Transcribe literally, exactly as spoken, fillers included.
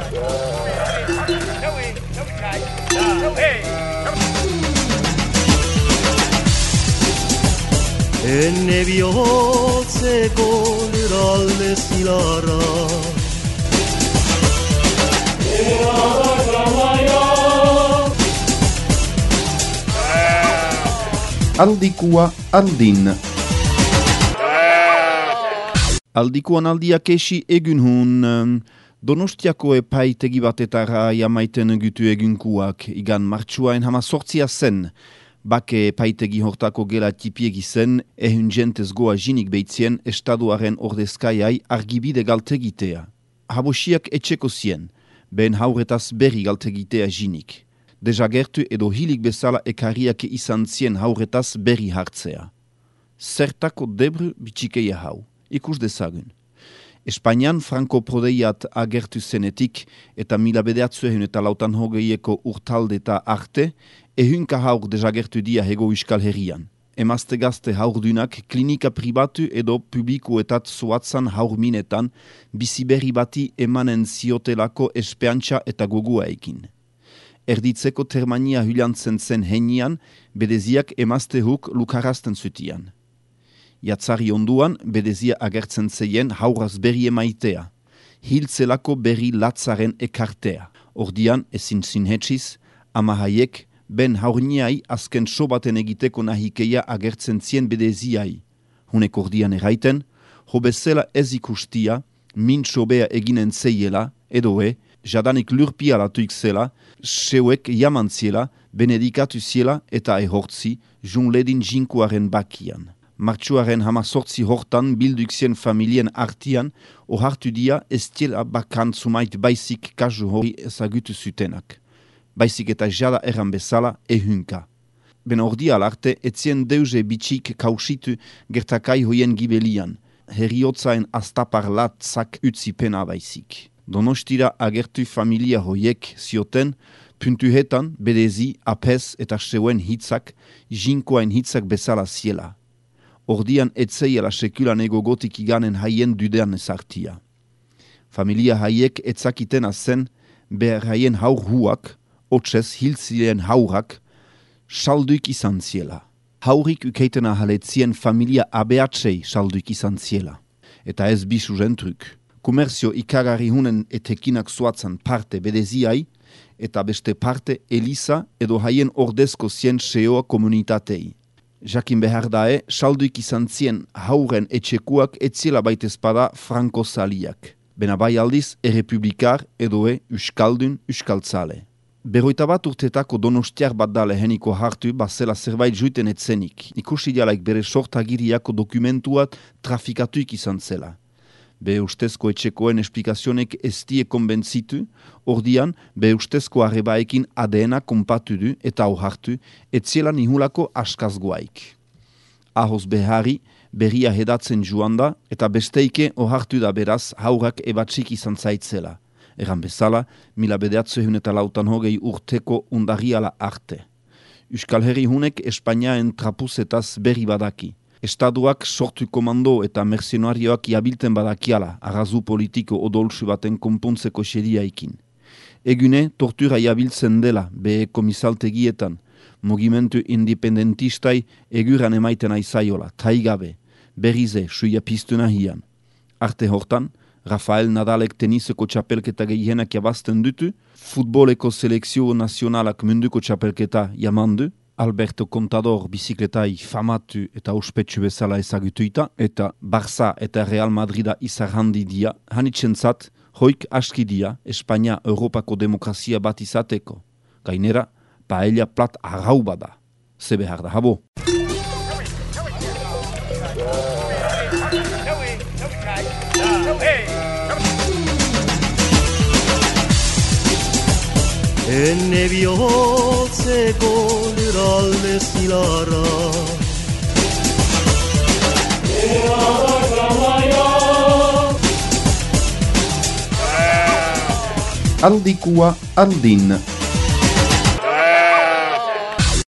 Enne bihotzeko lurralde zilarra Aldikua aldin Aldikuan aldiak esi egun hun Donostiako epaitegi batetara jamaiten gutu egunkuak igan martxuain hama sortzia zen. Bake epaitegi hortako gela tipiegi zen, ehun jentez goa jinik beitzien estaduaren ordezkaiai argibide galtegitea. Habosiak etxeko zien, behen hauretaz berri galtegitea jinik. Dejagertu edo hilik bezala ekarriak izan zien hauretaz berri hartzea. Zertako debru bitxikeia hau, ikus dezagun. Espainian Franco prodeiat agertu zenetik eta mila bedeatzuen eta lautan hogeieko urtaldeta arte, ehunka haur desagertu dia hego Euskal Herrian. Emazte gazte haurdunak klinika pribatu edo publikoetat zoatzan haurminetan biziberri bati emanen ziotelako espeantza eta goguaekin. Erditzeko termania hulantzen zen henian, bedeziak emazte huk lukarazten zutian. Jatzari onduan, bedezia agertzen zeien hauraz berri emaitea. Hiltzelako berri latzaren ekartea. Ordian, ezin zinhetxiz, ama haiek, ben haurniai azken sobaten egiteko nahikeia agertzen zien bedeziai. Hunek ordian eraiten, hobezela ez ikustia, min sobea eginen zeiela, edoe, jadanik lurpia latuik zela, seuek jamantziela, benedikatu ziela eta ehortzi, junledin jinkuaren bakian. Martxuaren hama sortzi hortan bilduk zien familien artian, ohartu dia estiela bakan zumait baizik kasu hori ezagutu zutenak. Baizik eta jada erran bezala ehunka. Ben ordial arte etzien deuze bitxik kausitu gertakai hoien gibelian, heriotzaen astapar latzak utzi pena baizik. Donostira agertu familia hoiek zioten, puntuhetan bedezi, apez eta seuen hitzak, jinkoain hitzak bezala ziela. Ordian etzeiela sekulan egogotik iganen haien dudean ezartia. Familia haiek etzakiten azen behar haien haur huak, otsez hiltzien haurak, salduik izan ziela. Haurik ukeiten ahaletzien familia abeatzei salduik izan ziela. Eta ez bisu zentruk. Komerzio ikarari hunen etekinak zoatzan parte bedeziai, eta beste parte Elisa edo haien ordezko zien seoa komunitatei. Jakin behar dae, salduik izan zien hauren etxekuak etziela baitezpada franko zaliak. Bena bai aldiz, errepublikar edoe uskaldun uskaltzale. Berroita bat urtetako donostiar bat da leheniko hartu bazela zerbait juiten etzenik. Ikusi dialaik bere sortagiriako dokumentuat trafikatuik izan zela. Be ustezko etxekoen esplikazionek ez die konbentzitu, ordian be ustezko arrebaekin A D N-a konpatu du eta ohartu, etziela nihulako askazgoaik. Ahoz behari, berria hedatzen joan da, eta besteike ohartu da beraz haurak ebatsik izan zaitzela. Eran bezala, mila bedeatzehun eta lautan hogei urteko undarriala arte. Euskal Herri hunek Espainiaen trapuzetaz berri badaki. Estaduak sortu komando eta mercenarioak jabilten badakiala, arrazu politiko odolsu baten konpontzeko xeriaikin. Egune, tortura jabiltzen dela, behe komisaltegietan, mugimendu independentistai eguran emaiten aizaiola, taigabe, berrize, suia piztuna hian. Arte hortan, Rafael Nadalek teniseko txapelketa gehienak jabazten dutu, futboleko selekzio nazionalak munduko txapelketa jamandu, Alberto Contador bizikletai famatu eta ospetsu bezala ezagutuita, eta Barça eta Real Madrida izar handi dia, hanitzentzat, hoik aski dia, Espainia Europako demokrazia bat izateko. Gainera, paella plat arrau bada. Ze behar da habo. Enne bihotzeko lurralde zilarra Aldikua aldin